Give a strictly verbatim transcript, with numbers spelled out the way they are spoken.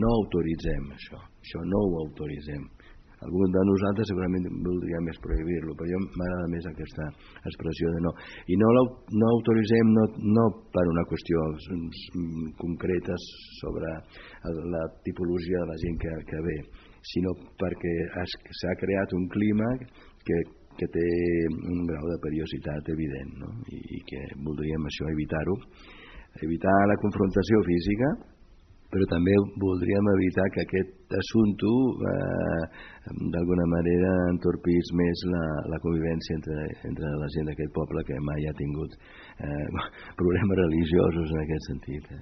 no autoritzem això, això no ho autoritzem. Algun de nosaltres segurament voldria més prohibir-lo, però jo m'agrada més aquesta expressió de no. I no, no autoritzem no, no per una qüestió concreta sobre la tipologia de la gent que, que ve, sinó perquè s'ha creat un clima que, que té un grau de periodicitat evident, no? I, i que voldríem això evitar-ho, evitar la confrontació física, però també voldríem evitar que aquest assumpte eh, d'alguna manera entorpís més la, la convivència entre, entre la gent d'aquest poble que mai ha tingut eh, problemes religiosos en aquest sentit. Eh.